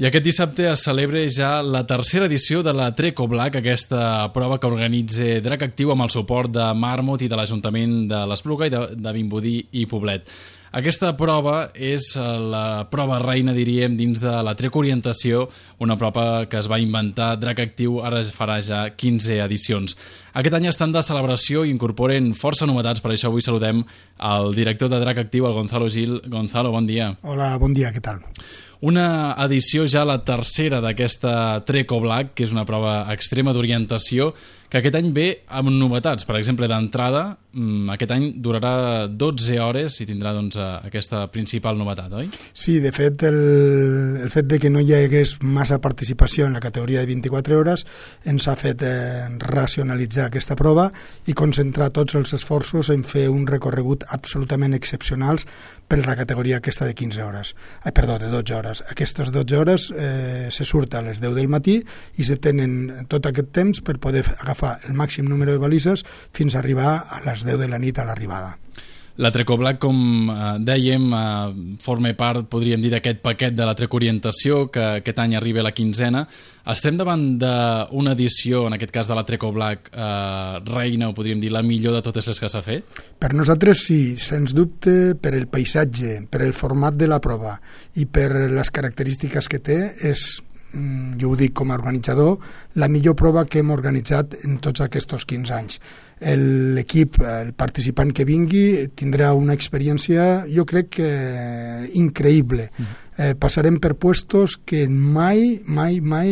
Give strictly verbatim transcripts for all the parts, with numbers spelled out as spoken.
I aquest dissabte es celebra ja la tercera edició de la Treco Black, aquesta prova que organitza Drac Actiu amb el suport de Marmot i de l'Ajuntament de l'Espluga i de, de Vimbodí i Poblet. Aquesta prova és la prova reina, diríem, dins de la Treco Orientació, una prova que es va inventar Drac Actiu, ara farà ja quinze edicions. Aquest any estan de celebració i incorporen força novetats, per això avui saludem el director de Drac Actiu, el Gonzalo Gil. Gonzalo, bon dia. Hola, bon dia, què tal? Una edició ja la tercera d'aquesta Treco Black, que és una prova extrema d'orientació, que aquest any ve amb novetats. Per exemple, d'entrada, aquest any durarà dotze hores i tindrà doncs, aquesta principal novetat, oi? Sí, de fet, el, el fet de que no hi hagués massa participació en la categoria de vint-i-quatre hores ens ha fet eh, racionalitzar aquesta prova i concentrar tots els esforços en fer un recorregut absolutament excepcionals per la categoria aquesta de quinze hores. Ai, perdó, de dotze hores. Aquestes dotze hores eh, se surt a les deu del matí i se tenen tot aquest temps per poder agafar el màxim número de balises fins a arribar a les deu de la nit a l'arribada. La Treco Black, com eh, dèiem, eh, forma part, podríem dir, d'aquest paquet de la Treco Orientació, que aquest any arriba a la quinzena. Estem davant d'una edició, en aquest cas de la Treco Black, eh, reina, o podríem dir la millor de totes les que s'ha fet? Per nosaltres sí, sens dubte, per el paisatge, per el format de la prova i per les característiques que té, és, jo ho dic com a organitzador, la millor prova que hem organitzat en tots aquests quinze anys. L'equip, el participant que vingui, tindrà una experiència, jo crec que increïble. Eh, passarem per puestos que mai, mai, mai,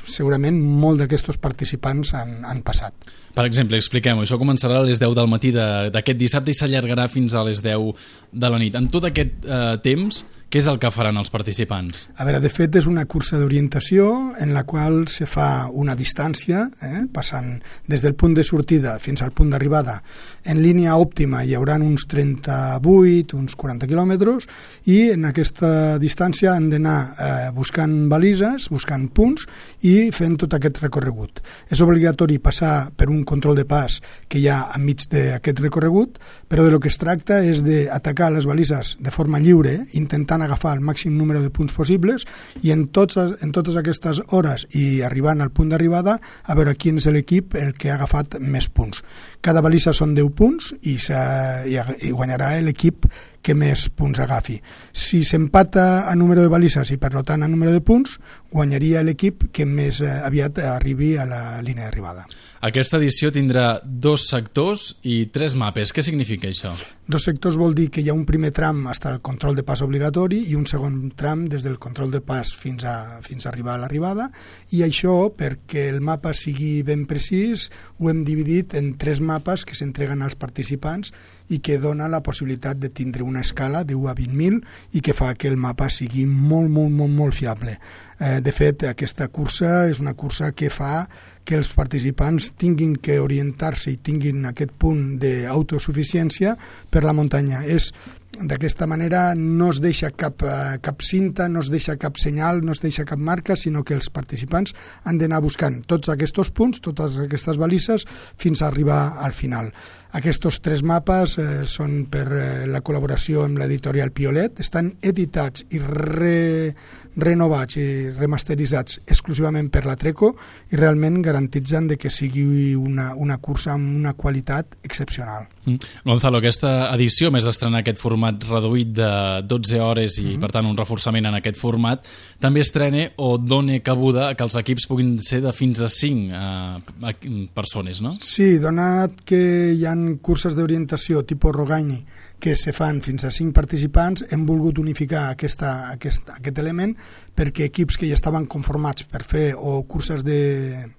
segurament molt d'aquests participants han, han passat. Per exemple, expliquem-ho, això començarà a les deu del matí d'aquest dissabte i s'allargarà fins a les deu de la nit. En tot aquest eh, temps, què és el que faran els participants? A veure, de fet, és una cursa d'orientació en la qual se fa una distància, eh, passant des del punt de sortida fins al punt d'arribada. En línia òptima hi haurà uns trenta-vuit, uns quaranta quilòmetres, i en aquesta distància han d'anar eh, buscant balises, buscant punts i fent tot aquest recorregut. És obligatori passar per un control de pas que hi ha enmig d'aquest recorregut, però de lo que es tracta és d'atacar les balises de forma lliure, intentant agafar el màxim número de punts possibles i en, tots, en totes aquestes hores i arribant al punt d'arribada a veure quin és l'equip el que ha agafat més punts. Cada balisa són deu punts i, i guanyarà l'equip que més punts agafi. Si s'empata a número de balises i per tant a número de punts, guanyaria l'equip que més aviat arribi a la línia d'arribada. Aquesta edició tindrà dos sectors i tres mapes. Què significa això? Dos sectors vol dir que hi ha un primer tram fins al control de pas obligatori i un segon tram des del control de pas fins a, fins a arribar a l'arribada, i això, perquè el mapa sigui ben precís, ho hem dividit en tres mapes que s'entreguen als participants i que dona la possibilitat de tindre una escala de u a vint mil i que fa que el mapa sigui molt, molt, molt, molt fiable. Eh, de fet, aquesta cursa és una cursa que fa que els participants tinguin que orientar-se i tinguin aquest punt d'autosuficiència per la muntanya. És d'aquesta manera no es deixa cap, cap cinta, no es deixa cap senyal, no es deixa cap marca, sinó que els participants han d'anar buscant tots aquests punts, totes aquestes balises, fins a arribar al final. Aquests tres mapes eh, són per eh, la col·laboració amb l'editorial Piolet, estan editats i re, renovats i remasteritzats exclusivament per la Treco i realment garantitzen de que sigui una, una cursa amb una qualitat excepcional. Mm. Gonzalo, aquesta edició, més estrenar aquest format reduït de dotze hores i, mm-hmm. per tant, un reforçament en aquest format, també estrena o dona cabuda que els equips puguin ser de fins a cinc eh, persones, no? Sí, donat que hi ha curses d'orientació tipus Rogaini que se fan fins a cinc participants, hem volgut unificar aquesta, aquest, aquest element perquè equips que ja estaven conformats per fer o curses de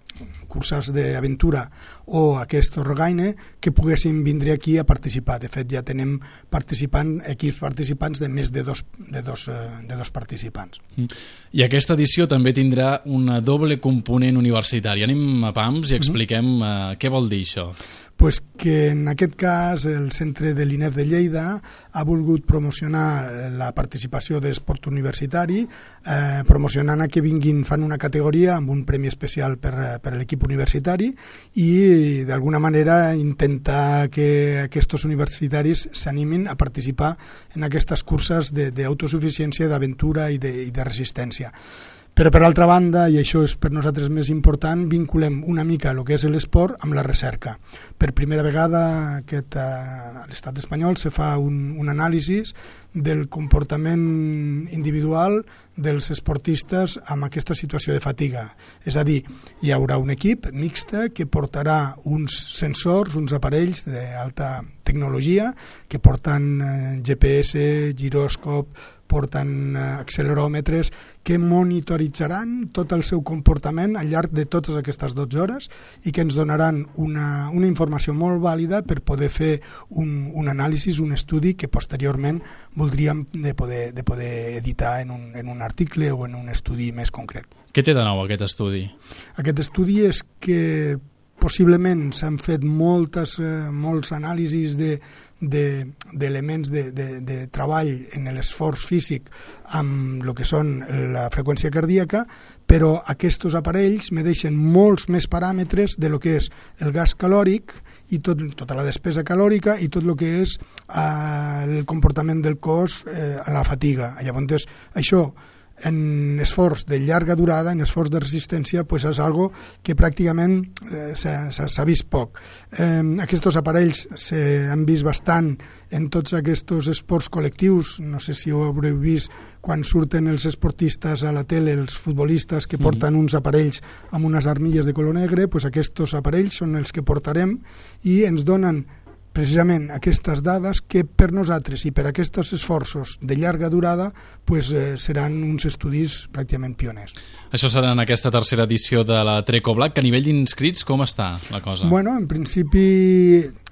curses d'aventura o aquest Rogaine que poguessin vindre aquí a participar. De fet, ja tenem participant, equips participants de més de dos, de dos, de dos participants. I aquesta edició també tindrà una doble component universitari. Anem a pams i expliquem mm-hmm. uh, què vol dir això. Pues que en aquest cas el centre de l'I N E F de Lleida ha volgut promocionar la participació d'esport universitari, eh, promocionant a que vinguin, fan una categoria amb un premi especial per, per l'equip universitari i d'alguna manera intentar que aquests universitaris s'animin a participar en aquestes curses d'autosuficiència, d'aventura i de, i de resistència. Però per altra banda, i això és per nosaltres més important, vinculem una mica el que és l'esport amb la recerca. Per primera vegada aquest, a l'estat espanyol se fa un, un anàlisi del comportament individual dels esportistes amb aquesta situació de fatiga. És a dir, hi haurà un equip mixte que portarà uns sensors, uns aparells d'alta tecnologia que porten eh, G P S, giròscop, porten acceleròmetres que monitoritzaran tot el seu comportament al llarg de totes aquestes dotze hores i que ens donaran una, una informació molt vàlida per poder fer un, un anàlisi, un estudi que posteriorment voldríem de poder, de poder editar en un, en un article o en un estudi més concret. Què té de nou aquest estudi? Aquest estudi és que possiblement s'han fet moltes, eh, molts anàlisis de d'elements de, de, de, de treball en l'esforç físic amb el que són la freqüència cardíaca, però aquests aparells me deixen molts més paràmetres de lo que és el gas calòric i tot, tota la despesa calòrica i tot el que és eh, el comportament del cos eh, a la fatiga. Llavors, això en esforç de llarga durada, en esforç de resistència, pues és algo que pràcticament eh, s'ha vist poc. Eh, aquests aparells s'han vist bastant en tots aquests esports col·lectius. No sé si ho haureu vist quan surten els esportistes a la tele, els futbolistes que porten mm. uns aparells amb unes armilles de color negre, pues aquests aparells són els que portarem i ens donen precisament aquestes dades que per nosaltres i per aquests esforços de llarga durada pues, eh, seran uns estudis pràcticament pioners. Això serà en aquesta tercera edició de la Treco Black, que a nivell d'inscrits com està la cosa? Bueno, en principi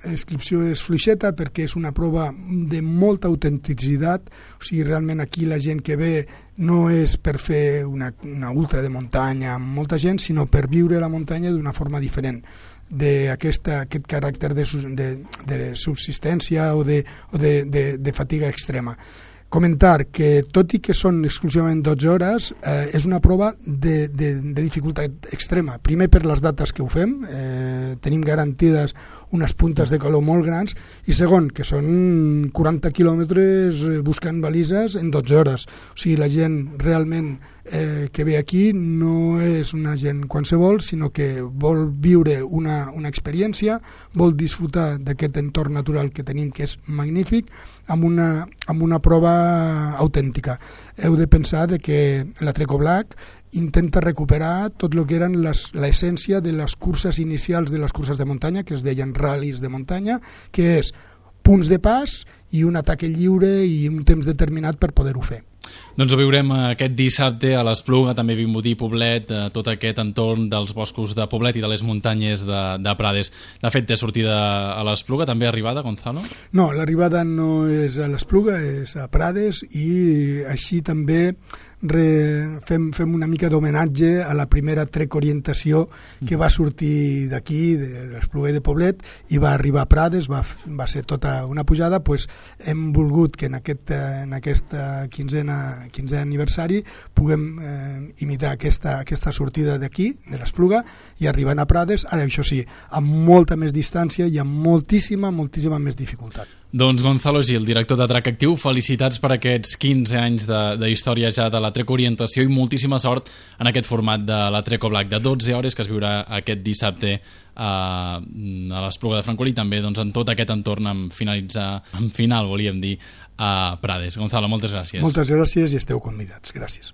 l'inscripció és fluixeta perquè és una prova de molta autenticitat, o sigui, realment aquí la gent que ve no és per fer una, una ultra de muntanya amb molta gent, sinó per viure la muntanya d'una forma diferent, d'aquest aquest caràcter de, de, de subsistència o, de, o de, de, de fatiga extrema. Comentar que tot i que són exclusivament dotze hores, eh, és una prova de, de, de dificultat extrema. Primer per les dates que ho fem, eh, tenim garantides unes puntes de calor molt grans, i segon, que són quaranta quilòmetres buscant balises en dotze hores. O sigui, la gent realment eh, que ve aquí no és una gent qualsevol, sinó que vol viure una, una experiència, vol disfrutar d'aquest entorn natural que tenim, que és magnífic, amb una, amb una prova autèntica. Heu de pensar de que la Treco Black intenta recuperar tot el que eren l'essència de les curses inicials de les curses de muntanya, que es deien ral·lis de muntanya, que és punts de pas i un atac lliure i un temps determinat per poder-ho fer. Doncs ho viurem aquest dissabte a l'Espluga, també Vimbodí, Poblet, tot aquest entorn dels boscos de Poblet i de les muntanyes de, de Prades. De fet, té sortida a l'Espluga, també arribada, Gonzalo? No, l'arribada no és a l'Espluga, és a Prades, i així també Re, fem, fem una mica d'homenatge a la primera Trek Orientació que va sortir d'aquí, de l'Espluga i de Poblet, i va arribar a Prades, va, va ser tota una pujada. Pues hem volgut que en aquest en aquesta quinzena, quinzè aniversari puguem eh, imitar aquesta, aquesta sortida d'aquí, de l'Espluga, i arribant a Prades, ara això sí, amb molta més distància i amb moltíssima, moltíssima més dificultat. Doncs Gonzalo Gil, director de Track Actiu, felicitats per aquests quinze anys de, de història ja de la Trek Orientació i moltíssima sort en aquest format de la Treco Black de dotze hores que es viurà aquest dissabte a, a l'Espluga de Francolí i també doncs, en tot aquest entorn en finalitzar, en final volíem dir, a Prades. Gonzalo, moltes gràcies. Moltes gràcies i esteu convidats. Gràcies.